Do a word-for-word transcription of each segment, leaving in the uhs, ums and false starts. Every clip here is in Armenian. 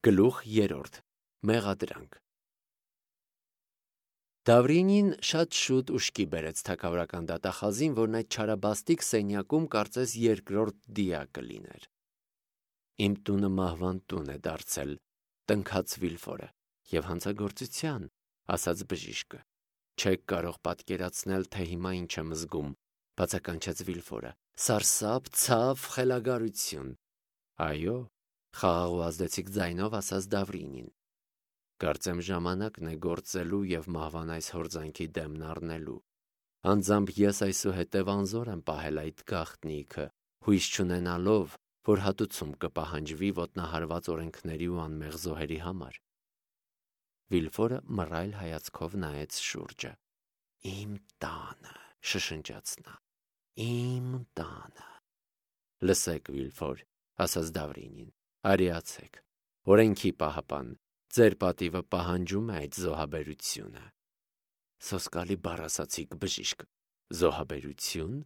Գլուխ երրորդ. Մեղադրանք։ Դավրինին շատ շուտ ուշքի բերեց թագավորական դատախազին, որն այդ չարաբաստիկ սենյակում կարծես երկրորդ դիակը լիներ։ Իմ տունը մահվան տուն է դարձել, տնքաց Վիլֆորը, և հանցագործության, ասաց բժիշկը։ Չեք կարող պատկերացնել, թե հիմա ինչ եմ զգում, բացականչեց Վիլֆորը։ Սարսափ, ցավ, խելագարություն։ Այո, խաղաղ ու ազդեցիկ ձայնով ասաց Դավրինին։ Կարծեմ ժամանակն է գործելու և մահվան այս հորձանքի դեմն առնելու։ Անձամբ ես այսուհետև անզոր եմ պահել այդ գաղտնիքը, հույս չունենալով, որ հատուցում կպահանջվի ոտնահարված օրենքների ու անմեղ զոհերի համար։ Վիլֆորը մռայլ հայացքով նայեց շուրջը։ Իմ տանը, շշնջաց նա, իմ տանը։ Լսեք, Վիլֆոր, ասաց Դավրինին, արիացեք, օրենքի պահապան, ձեր պատիվը պահանջում է այդ զոհաբերությունը։ Սոսկալի բառ ասացիք, բժիշկ, զոհաբերություն։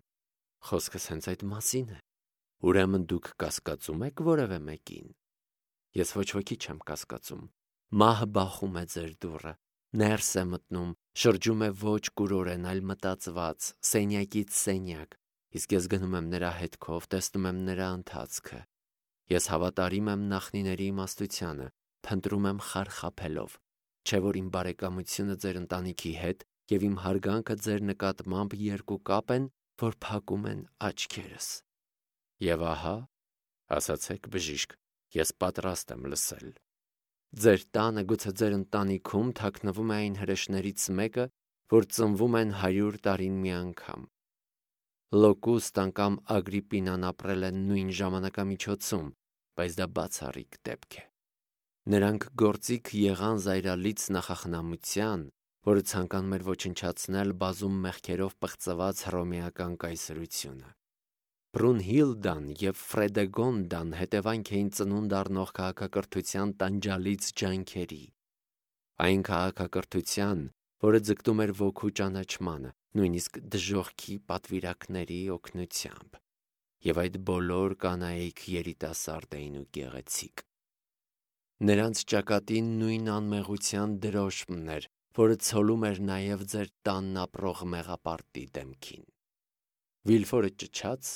Խոսքս հենց այդ մասին է։ Ուրեմն դուք կասկածում եք որևէ մեկին։ Ես ոչ ոքի չեմ կասկածում։ Մահը բախում է ձեր դուռը, ներս է մտնում, շրջում է ոչ կուրորեն, այլ մտածված, սենյակից սենյակ, իսկ ես գնում եմ նրա հետքով, տեսնում եմ նրա ընթացքը։ Ես հավատարիմ եմ նախնիների իմաստությանը, փնտրում եմ խարխափելով, չէ որ իմ բարեկամությունը ձեր ընտանիքի հետ և իմ հարգանքը ձեր նկատմամբ երկու կապ են, որ փակում են աչքերս։ Եվ ահա, ասացեք բժիշկ, ես պատրաստ եմ լսել։ Ձեր տանը, գուցե ձեր ընտանիքում թաքնվում է այն հրեշներից մեկը, որ ծնվում են հարյուր տարին մի անգամ։ Լոկուստան կամ Ագրիպինան ապրել են նույն ժամանակամիջոցում, բայց դա բացառիկ դեպք է։ Նրանք գործիք եղան զայրալից նախախնամության, որը ցանկանում էր ոչնչացնել բազում մեղքերով պղծված հռոմեական կայսրությունը։ Բրունհիլդան և Ֆրեդեգոնդան հետևանք էին ծնունդ առնող քաղաքակրթության տանջալից ջանքերի։ Այն քաղաքակրթության, որը ձգտում էր ոգու ճանաչմանը, նույնիսկ դժոխքի պատվիրակների օգնությամբ։ Եվ այդ բոլոր կանայք երիտասարդ էին ու գեղեցիկ։ Նրանց ճակատին նույն անմեղության դրոշմն էր, որը ցոլում էր նաև ձեր տանն ապրող մեղապարտի դեմքին։ Վիլֆորը ճչաց,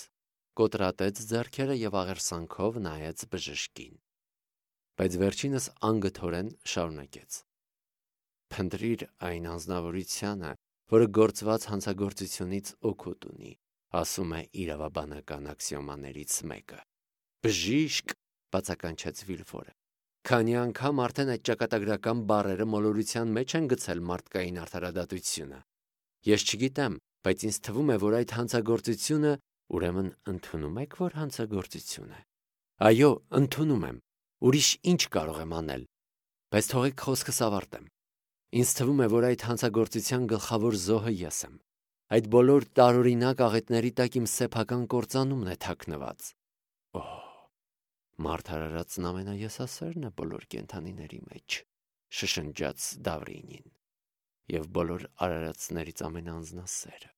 կոտրատեց ձեռքերը և աղերսանքով նայեց բժշկին։ Բայց վերջինս անգթորեն շարունակեց. Փնտրիր այն անձնավորությանը, որը գործված հանցագործությունից օգուտ ունի, ասում է իրավաբանական աքսիոմաներից մեկը։ Բժիշկ, բացականչեց Վիլֆորը, քանի անգամ արդեն այդ ճակատագրական բառերը մոլորության մեջ են գցել մարդկային արդարադատությունը։ Ես չգիտեմ, բայց ինձ թվում է, որ այդ հանցագործությունը, ուրեմն ընդունում եք, որ հանցագործություն է։ Այո, ընդունում եմ։ Ուրիշ ինչ կարող եմ անել։ Բայց թողեք խոսքս ավարտեմ։ Ինձ թվում է, որ այդ հանցագործության գլխավոր զոհը ես եմ։ Այդ բոլոր տարօրինակ աղետների տակ իմ սեփական կործանումն է թաքնված։ Օհ, մարդ արարածն ամենաեսասերն է բոլոր կենդանիների մեջ, շշնջաց Դավրինին, և բոլոր արարածներից ամենաանձնասերը։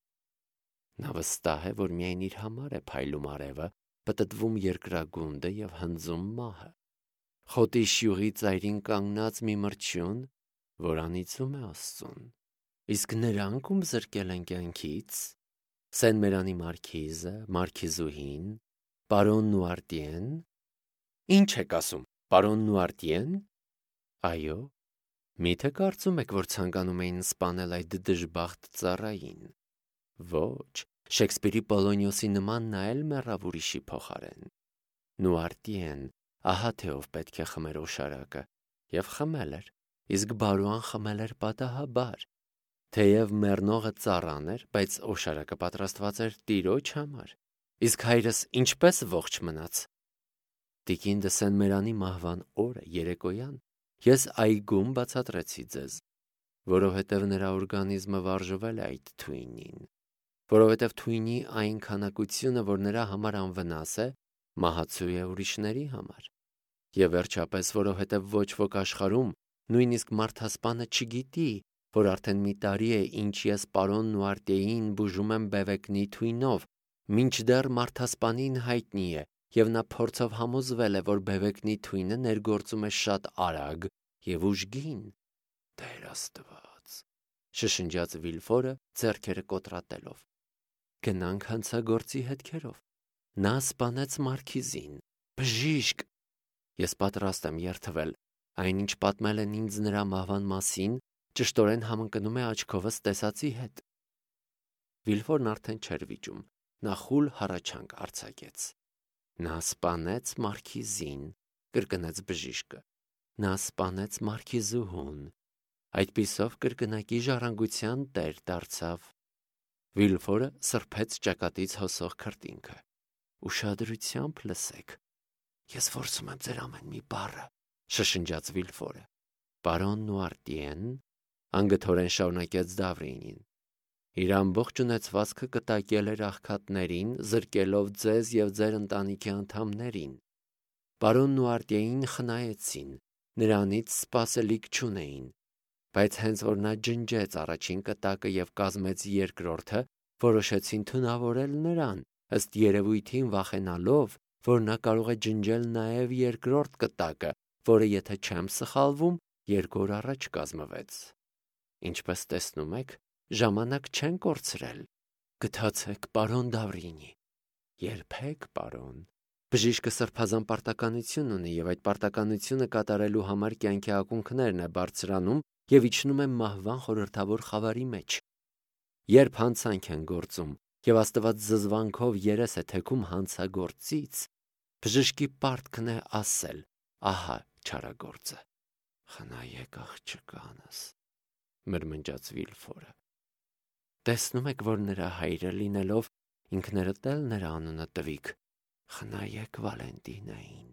Նա վստահ է, որ միայն իր համար է փայլում արևը, պտտվում երկրագունդը և հնձում մահը։ Խոտի շյուղի ծայրին կանգնած մի մրջյուն, որ անիծում է Աստծուն։ Իսկ նրանք, ում զրկել են կյանքից, Սեն-Մերանի մարքիզը, մարքիզուհին, պարոն Նուարտիեն։ Ինչ եք ասում, պարոն Նուարտիեն։ Այո, միթե կարծում եք, որ ցանկանում էին սպանել այդ դժբախտ ծառային։ Ոչ, Շեքսպիրի Պոլոնիոսի նման նա էլ մեռավ ուրիշի փոխարեն։ Նուարտիեն, ահա թե ով պետք է խմեր օշարակը, և խմել էր, իսկ բարոյան խմել էր պատահաբար։ Թեև մեռնողը ծառան էր, բայց օշարակը պատրաստված էր տիրոջ համար։ Իսկ հայրս ինչպե՞ս ողջ մնաց։ Տիկին դը Սեն-Մերանի մահվան օրը երեկոյան ես այգում բացատրեցի ձեզ, որովհետև նրա օրգանիզմը վարժվել է այդ թույնին, որովհետև թույնի այն քանակությունը, որ նրա համար անվնաս է, մահացու է ուրիշների համար, և վերջապես, որովհետև ոչ ոք աշխարհում, նույնիսկ մարդասպանը չգիտի, որ արդեն մի տարի է, ինչ ես պարոն Նուարտիեին բուժում եմ բևեկնի թույնով, մինչդեռ մարդասպանին հայտնի է, և նա փորձով համոզվել է, որ բևեկնի թույնը ներգործում է շատ արագ և ուժգին։ Տեր Աստված, շշնջաց Վիլֆորը ձեռքերը կոտրատելով։ Գնանք հանցագործի հետքերով։ Նա սպանեց մարքիզին։ Բժիշկ, ես պատրաստ եմ երդվել, այնինչ պատմել են ինձ նրա մահվան մասին, ճշտորեն համընկնում է աչքովս տեսածի հետ։ Վիլֆորն արդեն չէր վիճում, նա խուլ հառաչանք արձակեց։ Նա սպանեց մարքիզին, կրկնեց բժիշկը։ Նա սպանեց մարքիզուհուն, այդպիսով կրկնակի ժառանգության տեր դարձավ։ Վիլֆորը սրբեց ճակատից հոսող քրտինքը։ Ուշադրությամբ լսեք։ Ես որսում եմ ձեր ամեն մի բառը, շշնջաց Վիլֆորը։ Պարոն Նուարտիեն, անգթորեն շարունակեց Դավրինին, իր ամբողջ ունեցվածքը կտակել էր աղքատներին, զրկելով ձեզ և ձեր ընտանիքի անդամներին։ Պարոն Նուարտիեին խնայեցին, նրանից սպասելիք չունեին, բայց հենց որ նա ջնջեց առաջին կտակը և կազմեց երկրորդը, որոշեցին թունավորել նրան, ըստ երևույթին վախենալով, որ նա կարող է ջնջել նաև երկրորդ կտակը, որը, եթե չեմ սխալվում, երկու օր առաջ կազմվեց։ Ինչպես տեսնում եք, ժամանակ չեն կորցրել։ Գթացեք, պարոն Դավրինի։ Երբեք, պարոն։ Բժիշկը սրբազան պարտականություն ունի և այդ պարտականությունը կատարելու համար կյանքի ակունքներն է բարձրանում և իջնում է մահվան խորհրդավոր խավարի մեջ։ Երբ հանցանք են գործում և Աստված զզվանքով երես է թեքում հանցագործից, բժշկի պարտքն է ասել. ահա չարագործը։ Խնայեք աղջկանս, մրմնջաց Վիլֆորը։ Տեսնում եք, որ նրա հայրը լինելով, ինքներդ էլ նրա անունը տվիք։ Խնայեք Վալենտինային։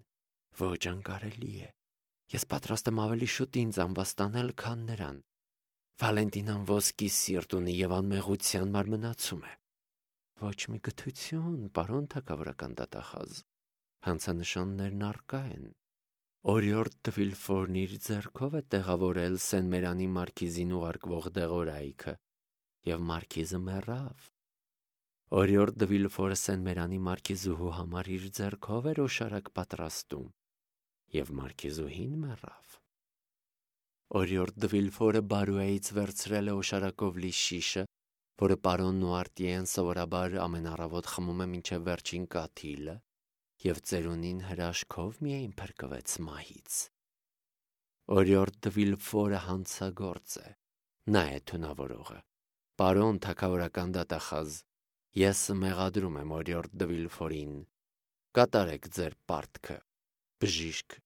Ոչ անկարելի է։ Ես պատրաստ եմ ավելի շուտ ինձ ամբաստանել, քան նրան։ Վալենտինան ոսկի սիրտ ունի և անմեղության մարմնացում է։ Ոչ մի գթություն, պարոն թագավորական դատախազ։ Հանցանշաններն առկա են։ Օրիորդ դը Վիլֆորն իր ձեռքով է տեղավորել Սեն-Մերանի մարքիզին ուղարկվող դեղորայքը, և մարքիզը մեռավ։ Օրիորդ դը Վիլֆորը Սեն-Մերանի մարքիզուհու համար իր ձեռքով էր օշարակ պատրաստում, և մարքիզուհին մեռավ։ Օրիորդ դը Վիլֆորը Բարուեից վերցրել է օշարակով լի շիշը, որը պարոն Նուարտիեն սովորաբար ամեն առավոտ խմում է մինչև վերջին կաթիլը, և ծերունին հրաշքով միայն փրկվեց մահից։ Օրիորդ դը Վիլֆորը հանցագործ է, նա է թունավորողը։ Պարոն թագավորական դատախազ, ես մեղադրում եմ Օրիորդ դը Վիլֆորին։ Կատարեք ձեր պարտքը։ Բժիշկ,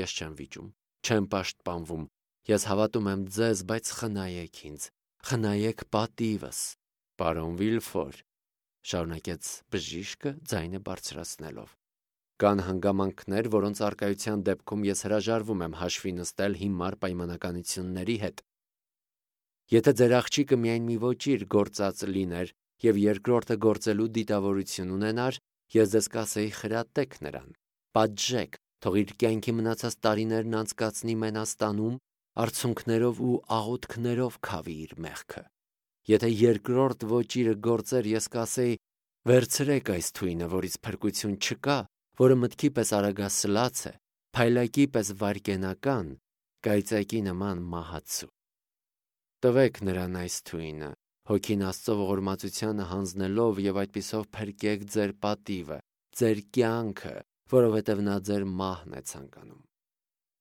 ես չեմ վիճում, չեմ պաշտպանվում, ես հավատում եմ ձեզ, բայց խնայեք ինձ, խնայեք պատիվս։ Պարոն Վիլֆոր, շարունակեց բժիշկը ձայնը բարձրացնելով, կան հանգամանքներ, որոնց առկայության դեպքում ես հրաժարվում եմ հաշվի նստել հիմար պայմանականությունների հետ։ Եթե ձեր աղջիկը միայն մի ոճիր գործած լիներ և երկրորդը գործելու դիտավորություն ունենար, ես ձեզ կասեի խրատեք նրան, պատժեք, թող իր կյանքի մնացած տարիներն անցկացնի Մենաստանում, արցունքներով ու աղոթքներով քավի իր մեղքը։ Եթե երկրորդ ոճիրը գործեր, ես կասեի. վերցրեք այս թույնը, որից փրկություն չկա, որը մտքի պես արագասլաց է, փայլակի պես վայրկենական, կայծակի նման մահացու։ Տվեք նրան այս թույնը, հոգին Աստծո ողորմածությանը հանձնելով և այդպիսով փրկեք ձեր պատիվը, ձեր կյանքը, որովհետև նա ձեր մահն է ցանկանում։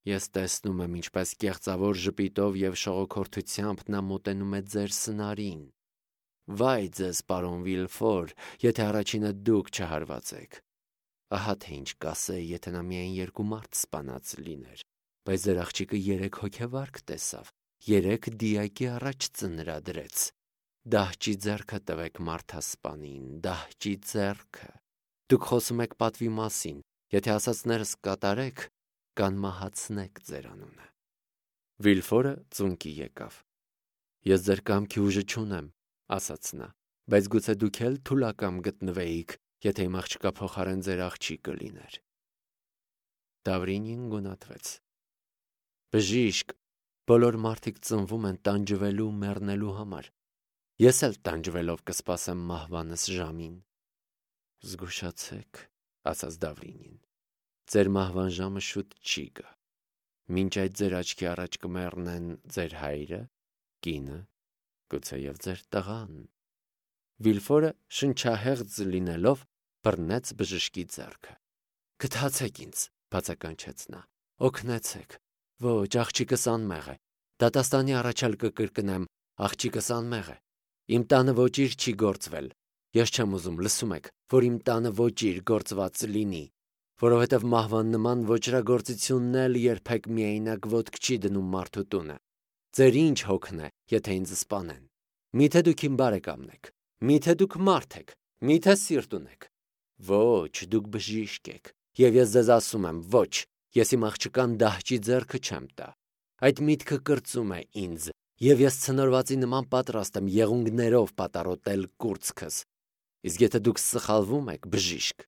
Ես տեսնում եմ, ինչպես կեղծավոր ժպիտով և շողոքորթությամբ նա մոտենում է ձեր սնարին։ Վայ ձեզ, պարոն Վիլֆոր, եթե առաջինը դուք չհարվածեք։ Ահա թե ինչ կասեի, եթե նա միայն երկու մարդ սպանած լիներ, բայց ձեր աղջիկը երեք հոգեվարք տեսավ, երեք դիակի առաջ ծնրադրեց։ Դահճի ձեռքը տվեք մարդասպանին, դահճի ձեռքը։ Դուք խոսում եք պատվի մասին, եթե ասածներս կատարեք, կանմահացնեք ձեր անունը։ Վիլֆորը ծունկի եկավ։ Ես ձեր կամքի ուժը չունեմ, ասաց նա, բայց գուցե դուք էլ թուլակամ գտնվեիք, եթե իմ աղջկա փոխարեն ձեր աղջիկը լիներ։ Դավրինին գունատվեց։ Բժիշկ, բոլոր մարդիկ ծնվում են տանջվելու, մեռնելու համար։ Ես էլ տանջվելով կսպասեմ մահվանս ժամին։ Զգուշացեք, ասաց Դավրինին։ Ձեր մահվան ժամը շուտ չի գա։ Մինչ այդ ձեր աչքի առաջ կմեռնեն ձեր հայրը, կինը, գուցեև ձեր տղան։ Վիլֆորը շնչահեղձ լինելով բռնեց բժշկի ձեռքը։ Գթացեք ինձ, բացականչեց նա, օգնեցեք։ Ոչ, աղջիկս անմեղ է։ Դատաստանի առաջարկը կրկնեմ, աղջիկս անմեղ է։ Իմ տանը ոչիր չի գործվել։ Ես չեմ ուզում, լսում եք, որ իմ տանը ոչիր գործված լինի, որովհետև մահվան նման ոչրագործությունն էլ երբեք միայնակ ոտք չի դնում մարդու տունը։ Ձեր ինչ հոգն է, եթե ինձ սպանեն։ Միթե դուք իմ բարեկամն եք, միթե դուք մարդ եք, միթե սիրտ ունեք։ Ոչ, դուք բժիշկ եք, եւ ես ձեզ ասում եմ, ոչ, ես իմ աղջկան դահճի ձեռքը չեմ տա։ Այդ միտքը կրծում է ինձ, եւ ես ցնորվածի նման պատրաստ եմ եղունգներով պատառոտել կուրծքս։ Իսկ եթե դուք սխալվում եք, բժիշկ,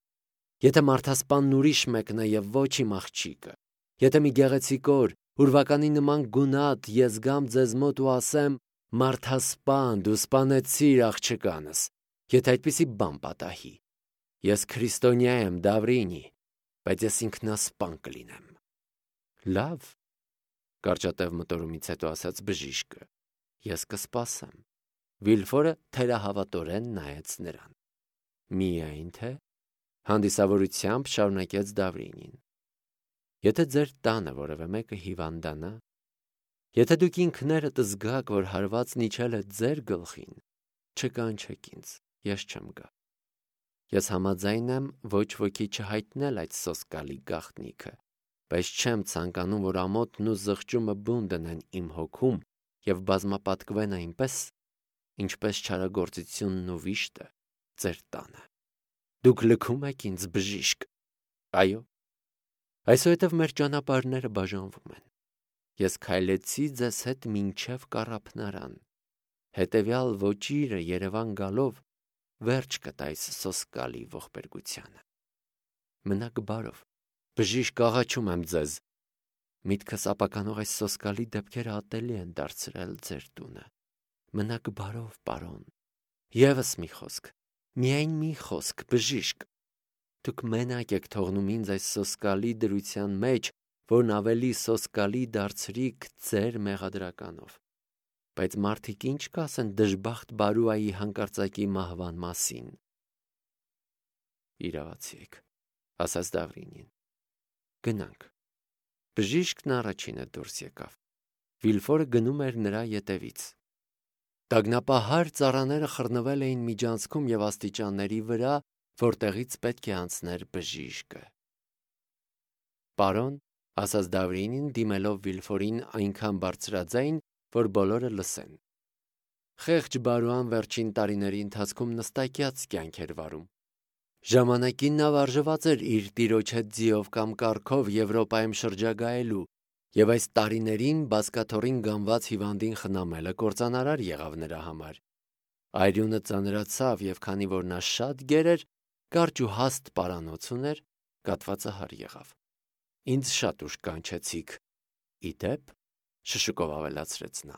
եթե մարդասպանն ուրիշ մեկն է եւ ոչ իմ աղջիկը, եթե մի գեղեցիկ օր, ուրվականի նման գունատ ես գամ ձեզ մոտ ու ասեմ. «Մարդասպան, դու սպանեցիր աղջկանս», եթե այդպիսի բան պատահի, ես քրիստոնյա եմ, Դավրինի, բայց ես ինքնասպան կլինեմ։ Լավ, կարճատև մտորումից հետո ասաց բժիշկը, ես կսպասեմ։ Վիլֆորը թերահավատորեն նայեց նրան։ Միայն թե հանդիսավորությամբ շարունակեց Դավրինին։ Եթե ձեր տանը որևէ մեկը հիվանդանա, եթե դուք ինքներդ զգաք, որ հարվածն իջել է ձեր գլխին, չկանչեք ինձ, ես չեմ գա։ Ես համաձայն եմ ոչ ոքի չհայտնել այդ սոսկալի գաղտնիքը, բայց չեմ ցանկանում, որ ամոթն ու զղջումը բուն դնեն իմ հոգում եւ բազմապատկվեն այնպես, ինչպես չարագործությունն ու վիշտը ձեր տանը։ Դուք լքում եք ինձ, բժիշկ։ Այո։ Այսուհետև մեր ճանապարհները բաժանվում են։ Ես քայլեցի ձեզ հետ մինչև կառափնարան։ Հետևյալ ոճիրը Երևան գալով վերջ կտա այս սոսկալի ողբերգությանը։ Մնաք բարով, բժիշկ, աղաչում եմ ձեզ։ Միտքս ապականող այս սոսկալի դեպքերը ատելի են դարձրել ձեր տունը։ Մնաք բարով, պարոն։ Եվս մի խոսք, միայն մի խոսք, բժիշկ։ Դուք մենակ եք թողնում ինձ այս սոսկալի դրության մեջ, որն ավելի սոսկալի դարձրիք ձեր մեղադրականով։ Բայց մարդիկ ինչ կասեն դժբախտ Բարուայի հանկարծակի մահվան մասին։ Իրավացի եք, ասաց Դավրինին։ Գնանք։ Բժիշկն առաջինը դուրս եկավ։ Վիլֆորը գնում էր նրա ետևից։ Տագնապահար ծառաները խռնվել էին միջանցքում եւ աստիճանների վրա, որտեղից պետք է անցներ բժիշկը։ Պարոն, ասաց Դավրինին, դիմելով Վիլֆորին այնքան բարձրաձայն, որ բոլորը լսեն։ Խեղճ Բարուան վերջին տարիների ընթացքում նստակյաց կյանք էր վարում։ Ժամանակին նա վարժված էր իր տիրոջ հետ ձիով կամ կառքով Եվրոպայում շրջագայելու, եւ այս տարիներին բազկաթոռին գանված հիվանդին խնամելը կործանարար եղավ նրա համար։ Այրյունը ծանրացավ, եւ քանի որ նա շատ գեր էր, կարճ ու հաստ պարանոց ուներ, կատվածահար եղավ։ Ինձ շատ ուշ կանչեցիք։ Իդեպ, շշուկով ավելացրեց նա,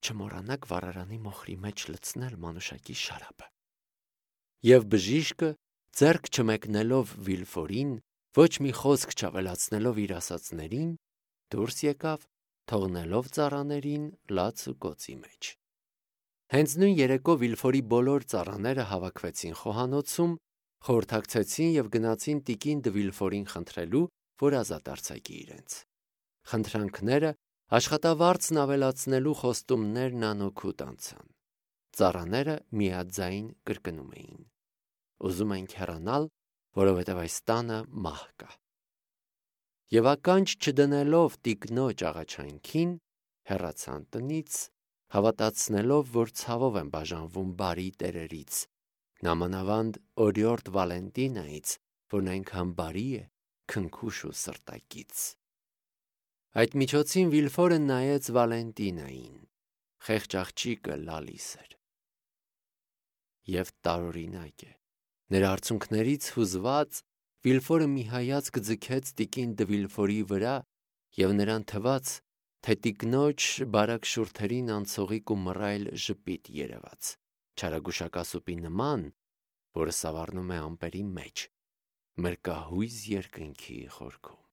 չմոռանաք վառարանի մոխրի մեջ լցնել մանուշակի շարապը։ Եվ բժիշկը, ձեռք չմեկնելով Վիլֆորին, ոչ մի խոսք չավելացնելով իր ասածներին, դուրս եկավ, թողնելով ծառաներին լաց ու կոցի մեջ։ Հենց նույն երեկո Վիլֆորի բոլոր ծառաները հավաքվեցին խոհանոցում, խորհրդակցեցին եւ գնացին տիկին Դը Վիլֆորին խնդրելու, որ ազատ արձակի իրենց։ Խնդրանքները աշխատավարձն ավելացնելու խոստումներն անօգուտ անցան։ Ծառաները միաձայն կրկնում էին. ուզում ենք հեռանալ, որովհետև այս տանը մահ կա։ Եվ ականջ չդնելով տիկնոջ աղաչանքին, հեռացան տնից, հավատացնելով, որ ցավով են բաժանվում բարի տերերից, նամանավանդ օրիորդ Վալենտինայից, որն այնքան բարի է, քնքուշ ու սրտակից։ Այդ միջոցին Վիլֆորը նայեց Վալենտինային, խեղճ աղջիկը լալիս էր։ Եվ տարօրինակ է, նրա արցունքներից հուզված Վիլֆորը մի հայացք ձգեց տիկին Դը Վիլֆորի վրա եւ նրան թվաց, թե տիկնոջ բարակ շուրթերին անցողիկ ու մռայլ ժպիտ երևաց, չարագուշակասուպի նման, որը սավառնում է ամպերի մեջ, մեր կահույս երկնքի խորքում։